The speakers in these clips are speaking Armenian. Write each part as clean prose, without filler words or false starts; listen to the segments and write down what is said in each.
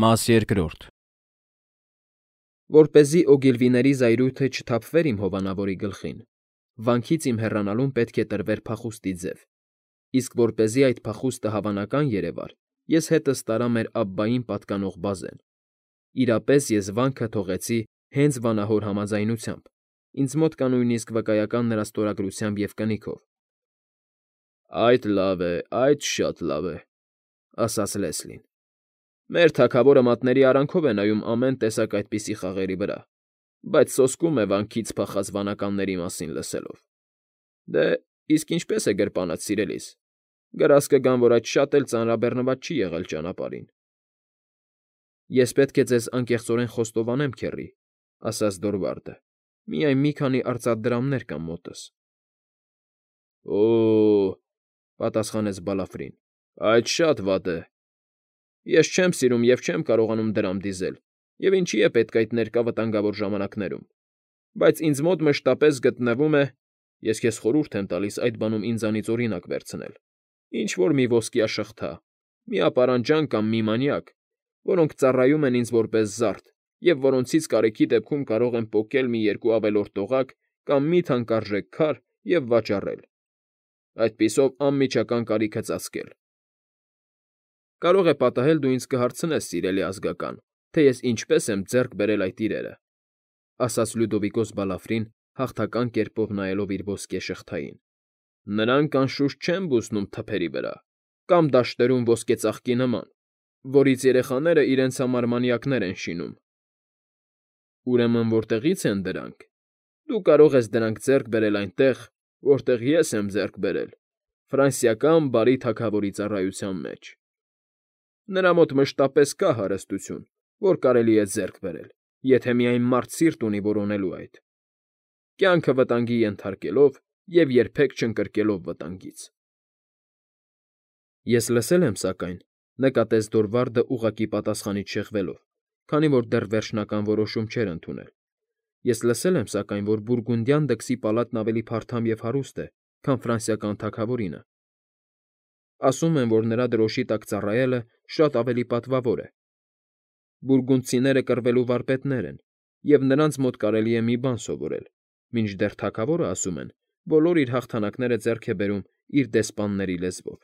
Մաս երկրորդ։ Որպեսզի Օգիլվիների զայրույթը չթափվեր իմ հովանավորի գլխին, վանքից իմ հեռանալուն պետք է տրվեր փախուստի ձև, իսկ որպեսզի այդ փախուստը հավանական երևար, ես հետս տարա մեր Աբբային պատկանող բազեն. իրապես ես վանքը թողեցի հենց վանահոր համաձայնությամբ, ինձ մոտ կա նույնիսկ վկայական նրա ստորագրությամբ և կնիքով։ «Այդ լավ է, այդ շատ լավ է», ասաց Լեսլին։ «Մեր թագավորը մատների արանքով է նայում ամեն տեսակ այդպիսի խաղերի վրա, բայց սոսկում է վանքից փախած վանականների մասին լսելով։ Դե, իսկ ինչպե՞ս է գրպանդ, սիրելիս, գրազ կգան, որ այդ շատ էլ ծանրաբեռնված չի եղել ճանապարհին»։ «Ես պետք է ձեզ անկեղծորեն խոստովանեմ, քեռի», ասաց Դորվարդը, «միայն մի քանի արծաթ դրամներ կան մոտս»։ «Օ՜օ», պատասխանեց Բալաֆրին, «այդ շատ վատ է։ Ես չեմ սիրում և չեմ կարողանում դրամ դիզել, և ինչի է պետք այդ ներկա վտանգավոր ժամանակներում, բայց ինձ մոտ մշտապես գտնվում է (ես քեզ խորհուրդ եմ տալիս այդ բանում ինձանից օրինակ վերցնել) ինչ֊որ մի ոսկյա շղթա, մի ապարանջան կամ մի մանյակ, որոնք ծառայում են ինձ որպես զարդ և որոնցից կարիքի դեպքում կարող եմ պոկել մի երկու ավելորդ օղակ կամ մի թանկարժեք քար և վաճառել, այդպիսով անմիջական կարիքը ծածկել»։ «Կարող է պատահել դու ինձ կհարցնես, սիրելի ազգական, թե ես ինչպես եմ ձեռք բերել այդ իրերը», ասաց Լյուդովիկոս Բալաֆրին, հաղթական կերպով նայելով իր ոսկե շղթային։ «Նրանք անշուշտ չեն բուսնում թփերի վրա կամ դաշտերում ոսկեծաղկի նման, որից երեխաները իրենց համար մանյակներ են շինում»։ «Ուրեմն որտեղի՞ց են դրանք։ Դու կարող ես դրանք ձեռք բերել այնտեղ, որտեղ ես եմ ձեռք բերել, ֆրանսիական բարի թագավորի ծառայության մեջ։ Նրա մոտ մշտապես կա հարստություն, որ կարելի է ձեռք բերել, եթե միայն մարդ սիրտ ունի որոնելու այդ, կյանքը վտանգի ենթարկելով և երբեք չընկրկելով վտանգից»։ «Ես լսել եմ, սակայն», նկատեց Դորվարդը ուղղակի պատասխանից շեղվելով, քանի որ դեռ վերջնական որոշում չէր ընդունել։ «Ես լսել եմ, սակայն, որ բուրգունդյան դքսի պալատն ավելի փարթամ և հարուստ է, քան ֆրանսիական թագավորինը։ Ասում են, որ նրա դրոշի տակ ծառայելը շատ ավելի պատվավոր է։ Բուրգունդցիները կռվելու վարպետներ են, և նրանց մոտ կարելի է մի բան սովորել, մինչդեռ թագավորը, ասում են, բոլոր իր հաղթանակները ձեռք է բերում իր դեսպանների լեզվով»։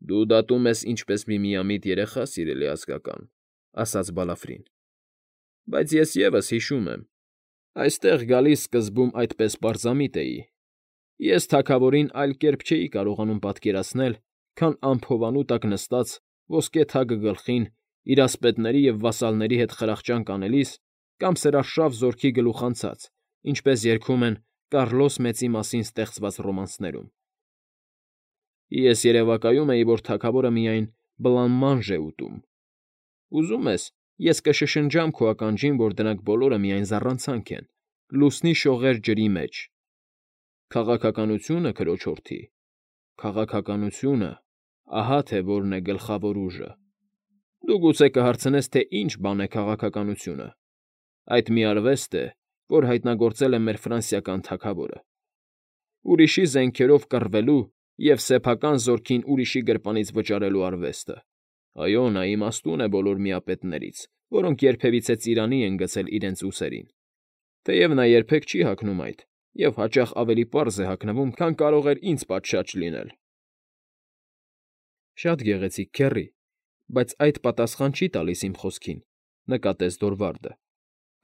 «Դու դատում ես ինչպես մի միամիտ երեխա, սիրելի ազգական», ասաց Բալաֆրին, «բայց ես ևս հիշում եմ. այստեղ գալիս սկզբում այդպես պարզամիտ էի։ Ես թագավորին այլ կերպ չէի կարողանում պատկերացնել, քան անփովանու տակ նստած, ոսկե թագը գլխին, իր ասպետների և վասալների հետ խրախճանք անելիս կամ սրարշավ զորքի գլուխ անցած, ինչպես երգում են Կառլոս Մեծի մասին ստեղծված ռոմանսներում։ Ես երևակայում էի, որ թագավորը միայն բլանմանժ է ուտում։ Ուզում ես, ես կշշնջամ քո ականջին, որ դրանք բոլորը միայն զառանցանք են, լուսնի շողեր ջրի մեջ։ Քաղաքականությունը, քրոջ հորթի, քաղաքականությունը, ահա թե որն է գլխավոր ուժը։ Դու գուցե կհարցնես, թե ինչ բան է քաղաքականությունը։ Այդ մի արվեստ է, որ հայտնագործել է մեր ֆրանսիական թագավորը։ Ուրիշի զենքերով կռվելու և սեփական զորքին ուրիշի գրպանից վճարելու արվեստը։ Այո, նա իմաստուն է բոլոր միապետներից, որոնք երբևիցե ծիրանի են գցել իրենց ուսերին, թեև նա երբեք չի հագնում այդ և հաճախ ավելի պարզ է հագնվում, քան կարող էր ինձ պատշաճ լինել»։ «Շատ գեղեցիկ, քեռի, բայց այդ պատասխան չի տալիս իմ խոսքին», նկատեց Դորվարդը։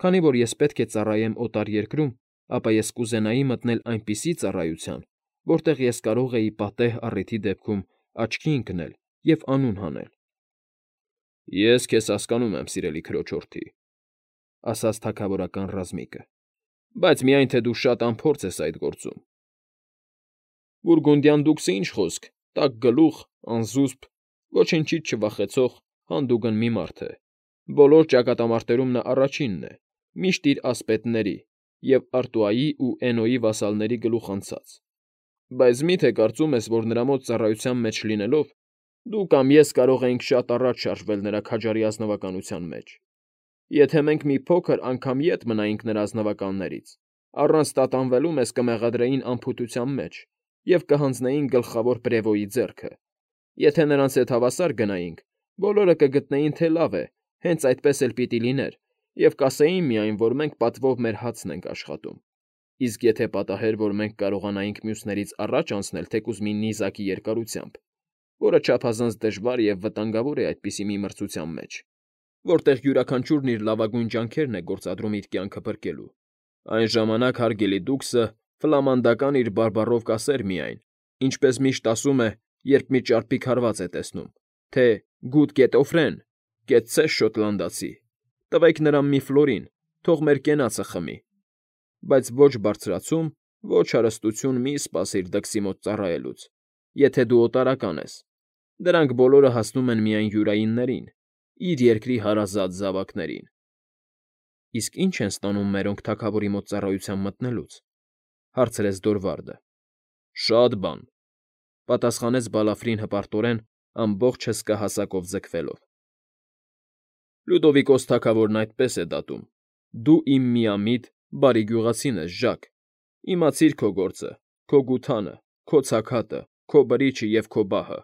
«Քանի որ ես պետք է ծառայեմ օտար երկրում, ապա ես կուզենայի մտնել այնպիսի ծառայության, որտեղ ես կարող էի պատեհ առիթի դեպքում աչքի ընկնել և անուն հանել»։ «Ես քեզ հասկանում եմ, սիրելի քրոջ հորթի», ասաց թագավորական ռազմիկը, «բայց միայն թե դու շատ անփորձ ես այդ գործում։ Բուրգունդյան դուքսը ինչ խոսք, տաք գլուխ, անզուսպ, ոչնչից չվախեցող հանդուգն մի մարդ է։ Բոլոր ճակատամարտերում նա առաջինն է, միշտ իր ասպետների և Արտուայի ու Էնոյի վասալների գլուխ անցած։ Բայց մի՞թե կարծում ես, որ նրա մոտ ծառայության մեջ լինելով, դու կամ ես կարող էինք շատ առաջ շարժվել նրա քաջարի ազնվականության մեջ։ Եթե մենք մի փոքր անգամ ետ մնայինք նրա ազնվականներից, առանց տատանվելու մեզ կմեղադրեին անփութության մեջ և կհանձնեին գլխավոր պրևոյի ձեռքը։ Եթե նրանց հետ հավասար գնայինք, Բոլորը կգտնեին, թե լավ է, հենց այդպես էլ պիտի լիներ, և կասեին միայն, որ մենք պատվով մեր հացն ենք աշխատում։ Իսկ եթե պատահեր, որ մենք կարողանայինք մյուսներից առաջ անցնել թեկուզ մի նիզակի երկարությամբ, որը չափազանց դժվար և վտանգավոր է այդպիսի մի մրցության մեջ, որտեղ յուրաքանչյուրն իր լավագույն ջանքերն է գործադրում իր կյանքը փրկելու, այն ժամանակ հարգելի դուքսը ֆլամանդական իր բարբառով կասեր միայն, ինչպես միշտ ասում է, երբ մի ճարպիկ հարված է տեսնում, թե «Գուտ գետոֆրեն, կեցցե՛ս շոտլանդացի, տվեք նրան մի ֆլորին, թող մեր կենացը խմի», բայց ոչ բարձրացում, ոչ հարստություն մի սպասիր դքսի մոտ ծառայելուց, եթե դու օտարական ես, դրանք բոլորը հասնում են միայն յուրայիններին, իր երկրի հարազատ զավակներին։ Իսկ ի՞նչ են ստանում մերոնք թագավորի մոտ ծառայության մտնելուց, հարցրեց Դորվարդը։ Շատ բան, պատասխանեց Բալաֆրին հպարտորեն, ամբողջ հսկա հասակով ձգվելով։ Լյուդովիկոս թագավորն այդպես է դատում։ Դու իմ միամիտ, բարի գյուղացին ես, Ժակ։ Իմացիր քո գործը, քո գութանը, քո ցաքատը, քո բրիչը և քո բահը,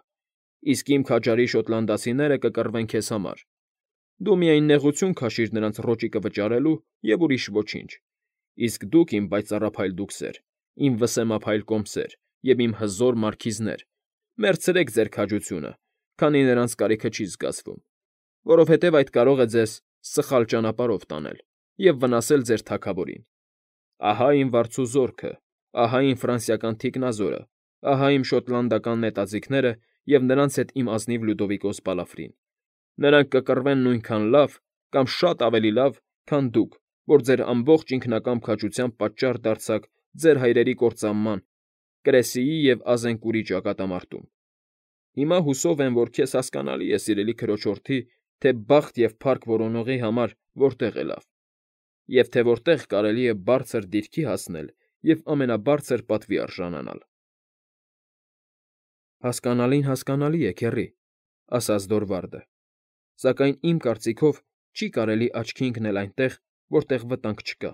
իսկ իմ քաջարի շոտլանդացիները կկռվեն քեզ համար։ Դու միայն նեղություն քաշիր նրանց ռոճիկը վճարելու և ուրիշ ոչինչ, իսկ դուք, իմ պայծառափայլ դուքսեր, իմ վսեմափայլ կոմսեր և իմ հզոր մարքիզներ, մերցրեք ձեր քաջությունը, քանի նրանց կարիքը չի զգացվում, որովհետև այդ կարող է ձեզ սխալ ճանապարհով տանել և վնասել ձեր թագավորին։ Ահա իմ վարձու զորքը, ահա իմ ֆրանսիական թիկնազորը, ահա իմ շոտլանդական նետաձիգները և նրանց հետ իմ ազնիվ Լյուդովիկոս Բալաֆրին։ Նրանք կկռվեն նույնքան լավ կամ շատ ավելի լավ, քան դուք, որ ձեր ամբողջ ինքնակամ քաջությամբ պատճառ դարձաք ձեր հայրերի կործանման Կրեսիի և Ազենկուրի ճակատամարտում։ Հիմա հուսով եմ, որ քեզ հասկանալի է, սիրելի քրոջորդի, թե բախտ և փառք որոնողի համար որտեղ է լավ, և թե որտեղ կարելի է բարձր դիրքի հասնել և ամենաբարձր պատվի արժանանալ։ Հասկանալի է, քեռի, ասաց Դորվարդը, սակայն իմ կարծիքով չի կարելի աչքի ընկնել այնտեղ, որտեղ վտանգ չկա։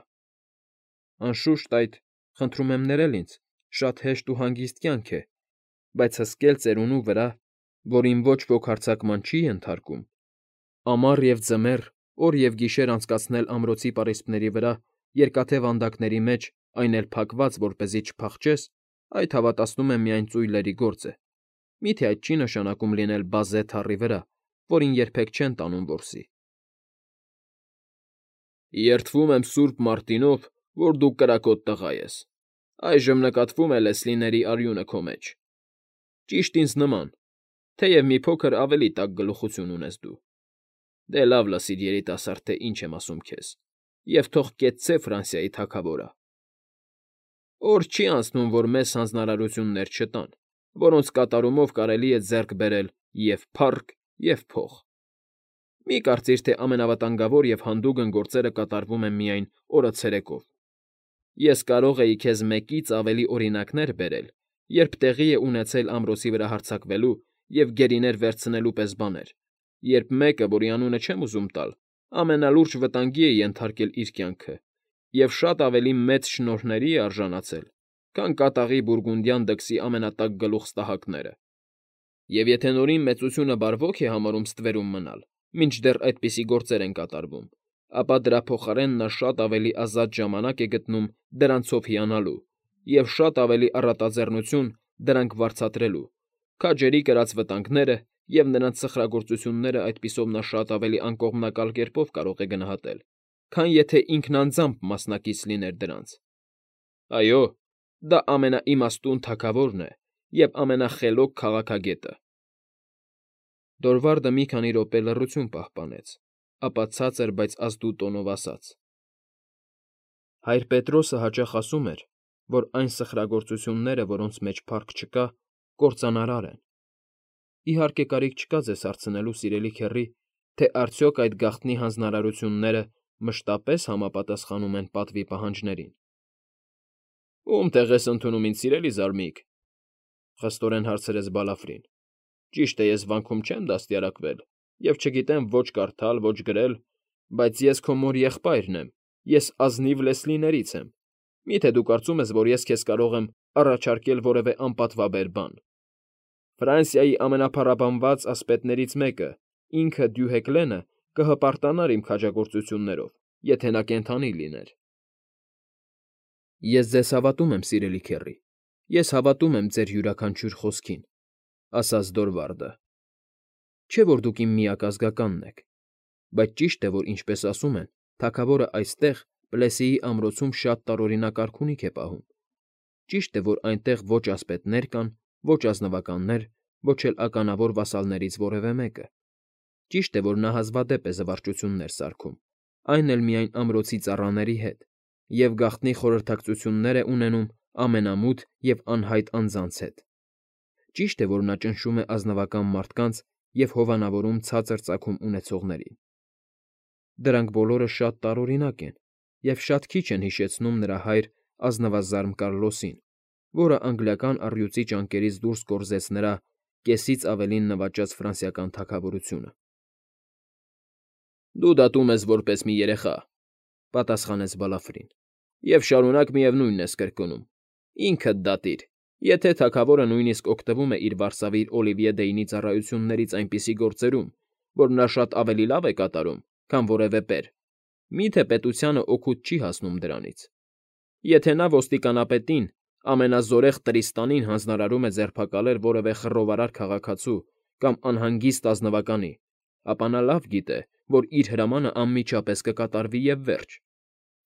Անշուշտ այդ, խնդրում եմ ներել ինձ, շատ հեշտ ու հանգիստ կյանք է, բայց հսկել ծերունու վրա, որին ոչ ոք հարձակման չի ենթարկում, ամառ և ձմեռ, օր և գիշեր անցկացնել ամրոցի պարիսպների վրա երկաթե վանդակների մեջ, այն էլ փակված, որպեսզի չփախչես, այդ հավատացնում եմ միայն ծույլերի գործ է, միթե այդ չի նշանակում լինել բազե թառի վրա, որին երբեք չեն տանում որսի։ Երդվում եմ Սուրբ Մարտինով, որ դու կրակոտ տղա ես, այժմ նկատվում է Լեսլիների արյունը քո մեջ։ Ճիշտ ինձ նման, թեև մի փոքր ավելի տաք գլուխություն ունես դու։ Դե լավ լսիր, երիտասարդ, թե ինչ եմ ասում քեզ, և թող կեցցե Ֆրանսիայի թագավորը։ Օր չի անցնում, որ մեզ հանձնարարություններ չտան, որոնց կատարումով կարելի է ձեռք բերել և՛ փառք, և՛ փող։ Մի կարծիր, թե ամենավտանգավոր և հանդուգն գործերը կատարվում են միայն օրը ցերեկով։ Ես կարող էի քեզ մեկից ավելի օրինակներ բերել, երբ տեղի է ունեցել ամրոցի վրա հարձակվելու և գերիներ վերցնելու պես բաներ, երբ մեկը, որի անունը չեմ ուզում տալ, ամենալուրջ վտանգի է ենթարկել իր կյանքը և շատ ավելի մեծ շնորհների է արժանացել, քան կատաղի բուրգունդյան դքսի ամենատաք գլուխստահակները։ Եվ եթե Նորին մեծությունը բարվոք է համարում ստվերում մնալ, մինչդեռ այդպիսի գործեր են կատարվում, ապա դրա փոխարեն նա շատ ավելի ազատ ժամանակ է գտնում դրանցով հիանալու և շատ ավելի առատաձեռնություն դրանք վարձատրելու, քաջերի կրած վտանգները և նրանց սխրագործությունները այդպիսով նա շատ ավելի անկողմնակալ կերպով կարող է գնահատել, քան եթե ինքն անձամբ մասնակից լիներ դրանց։ Այո, դա ամենաիմաստուն թագավորն է և ամենախելոք քաղաքագետը։ Դորվարդը մի քանի րոպե լռություն պահպանեց, ապա ցածր, բայց ազդու տոնով ասաց. Հայր Պետրոսը հաճախ ասում էր, որ այն սխրագործությունները, որոնց մեջ փառք չկա, կործանարար են։ Իհարկե, կարիք չկա ձեզ հարցնելու, սիրելի քեռի, թե արդյոք այդ գաղտնի հանձնարարությունները մշտապես համապատասխանում են պատվի պահանջներին։ Ո՞ւմ տեղ ես ընդունում, ինձ սիրելի զարմիկ,֊ խստորեն հարցրեց Բալաֆրին։ Ճիշտ է, ես վանքում չեմ դաստիարակվել և չգիտեմ ոչ կարդալ, ոչ գրել, բայց ես քո մոր եղբայրն եմ, ես ազնիվ Լեսլիներից եմ։ Մի՞թե դու կարծում ես, որ ես քեզ կարող եմ առաջարկել որևէ անպատվաբեր բան։ Ֆրանսիայի ամենափառաբանված ասպետներից մեկը, ինքը Դյուհեկլենը կհպարտանար իմ քաջագործություններով, եթե նա կենդանի լիներ։ Ես ձեզ հավատում եմ, սիրելի քեռի, ես հավատում եմ ձեր յուրաքանչյուր խոսքին, ասաց Դորվարդը։ Չէ՞ որ դուք իմ միակ ազգականն եք, բայց ճիշտ է, որ ինչպես ասում են, թագավորը այստեղ, Պլեսիի ամրոցում շատ տարօրինակ արքունիք է պահում։ Ճիշտ է, որ այնտեղ ոչ ասպետներ կան, ոչ ազնվականներ, ոչ էլ ականավոր վասալներից որևէ մեկը։ Ճիշտ է, որ նա հազվադեպ է զվարճություններ սարքում, այն էլ միայն ամրոցի ծառաների հետ, և գաղտնի խորհրդակցություններ է ունենում ամենամութ և անհայտ անձանց հետ։ Ճիշտ է, որ նա ճնշում է ազնվական մարդկանց և հովանավորում ցածր ծագում ունեցողներին։ Դրանք բոլորը շատ տարօրինակ են և շատ քիչ են հիշեցնում նրա հայր ազնվազարմ Կառլոսին, որը անգլիական առյուծի ճանկերից դուրս կորզեց նրա կեսից ավելին նվաճած ֆրանսիական թագավորությունը։ Դու դատում ես որպես մի երեխա, պատասխանեց Բալաֆրին, և շարունակ միևնույնն ես կրկնում. ինքդ դատիր, եթե թագավորը նույնիսկ օգտվում է իր վարսավիր Օլիվիե Դեյնի ծառայություններից այնպիսի գործերում, որ նա շատ ավելի լավ է կատարում, քան որևէ պեր, միթե պետությանը օգուտ չի հասնում դրանից։ Եթե նա ոստիկանապետին, ամենազորեղ Տրիստանին հանձնարարում է ձերբակալել որևէ խռովարար քաղաքացու կամ անհանգիստ ազնվականի, ապա նա լավ գիտե, որ իր հրամանը անմիջապես կկատարվի և վերջ։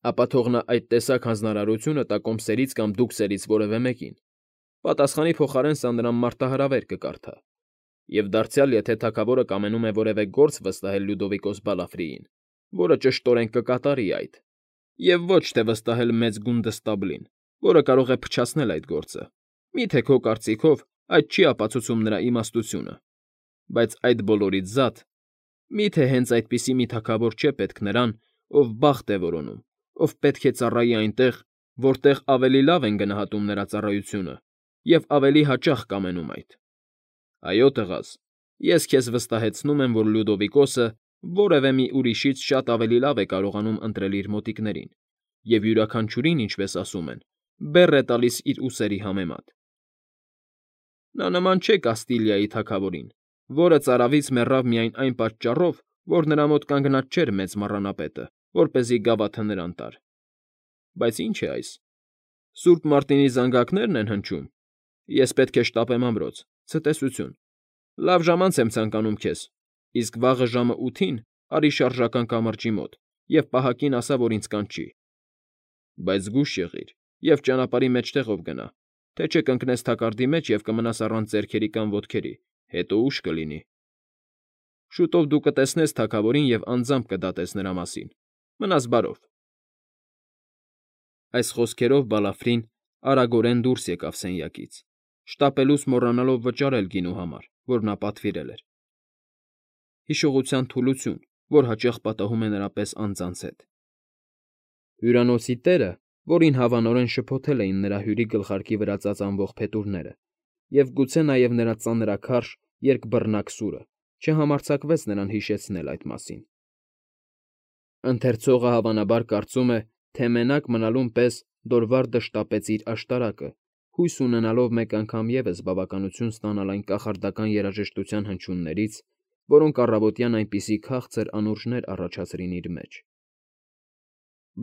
Ապա թող նա այդ տեսակ հանձնարարությունը տա կոմսերից կամ դուքսերից որևէ մեկին, պատասխանի փոխարեն սա նրան մարտահրավեր կկարդա։ Եվ դարձյալ, եթե թագավորը կամենում է որևէ գործ վստահել Լյուդովիկոս Բալաֆրիին, որը ճշտորեն կկատարի այդ, և ոչ թե վստահել մեծ գունդստաբլին, որը կարող է փչացնել այդ գործը, միթե քո կարծիքով այդ չի ապացուցում նրա իմաստությունը։ Բայց այդ բոլորից զատ, միթե հենց այդպիսի մի թագավոր չէ պետք նրան, ով բախտ է որոնում, ով պետք է ծառայի այնտեղ, որտեղ ավելի լավ են գնահատում նրա ծառայությունը և ավելի հաճախ կամենում այդ։ Այո, տղաս, ես քեզ վստահեցնում եմ, որ Լյուդովիկոսը որևէ մի ուրիշից շատ ավելի լավ է կարողանում ընտրել իր մոտիկներին և յուրաքանչյուրին, ինչպես ասում են, բեռ է տալիս իր ուսերի համեմատ։ Նա նման չէ Կաստիլիայի թագավորին, որը ծարավից մեռավ միայն այն պատճառով, որ նրա մոտ կանգնած չէր մեծ մառանապետը, որպեսզի գավաթը նրան տար։ Բայց ի՞նչ է այս։ Սուրբ Մարտինի զանգակնե՞րն են հնչում։ Ես պետք է շտապեմ ամրոց, ցտեսություն։ Լավ ժամանց եմ ցանկանում քեզ, իսկ վաղը ժամը 8-ին արի շարժական կամրջի մոտ և պահակին ասա, որ ինձ կանչի։ Բայց զգույշ եղիր և ճանապարհի մեջտեղով գնա, թե չէ կընկնես թակարդի մեջ և կմնաս առանց ձեռքերի կամ ոտքերի, հետո ուշ կլինի։ Շուտով դու կտեսնես թագավորին և անձամբ կդատես նրա մասին։ Մնաս բարով։ Այս խոսքերով Բալաֆրին արագորեն դուրս եկավ սենյակից, շտապելուց մոռանալով վճարել գինու համար, որ նա պատվիրել էր։ Հիշողության թուլություն, որ հաճախ պատահում է նրա պես անձանց հետ։ Հյուրանոցի տերը, որին հավանորեն շփոթել էին նրա հյուրի գլխարկի վրա ծածանվող փետուրները, և գուցե նաև նրա ծանրաքարշ երկբռնակ սուրը, չհամարձակվեց նրան հիշեցնել այդ մասին։ Ընթերցողը հավանաբար կարծում է, թե մենակ մնալուն պես Դորվարդը շտապեց իր աշտարակը, հույս ունենալով մեկ անգամ ևս բավականություն ստանալ այն կախարդական երաժշտության հնչյուններից, որոնք առավոտյան այնպիսի քաղցր անուրջներ առաջացրին իր մեջ։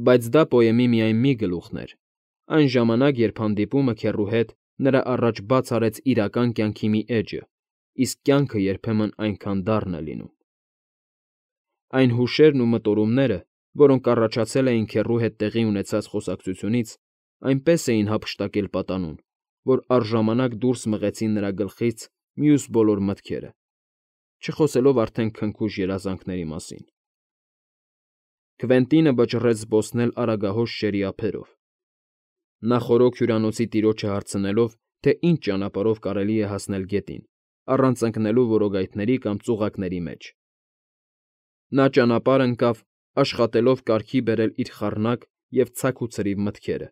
Բայց դա պոեմի միայն մի գլուխն էր, այն ժամանակ, երբ հանդիպումը քեռու հետ նրա առաջ բաց արեց իրական կյանքի մի էջը, իսկ կյանքը երբեմն այնքան դառն է լինում։ Այն հուշերն ու մտորումները, որոնք առաջացել էին քեռու հետ տեղի ունեցած խոսակցությունից, այնպես էին հափշտակել պատանուն, որ առժամանակ դուրս մղեցին նրա գլխից մյուս բոլոր մտքերը, չխոսելով արդեն քնքուշ երազանքների մասին։ Քվենտինը վճռեց զբոսնել Արագահոս շերի ափերով։ Նա խորոք հյուրանոցի տիրոջը հարցնելով, թե ինչ ճանապարհով կարելի է հասնել գետին, առանց ընկնելու որոգայթների կամ ծուղակների մեջ։ Նա ճանապարհ ընկավ, աշխատելով կարգի բերել իր խառնակ և ցաք ու ցրիվ մտքերը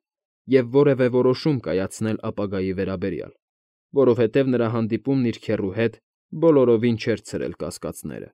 և որևէ որոշում կայացնել ապագայի վերաբերյալ, որովհետև նրա հանդիպումն իր քեռու հետ բոլորովին չէր ցրել կասկածները։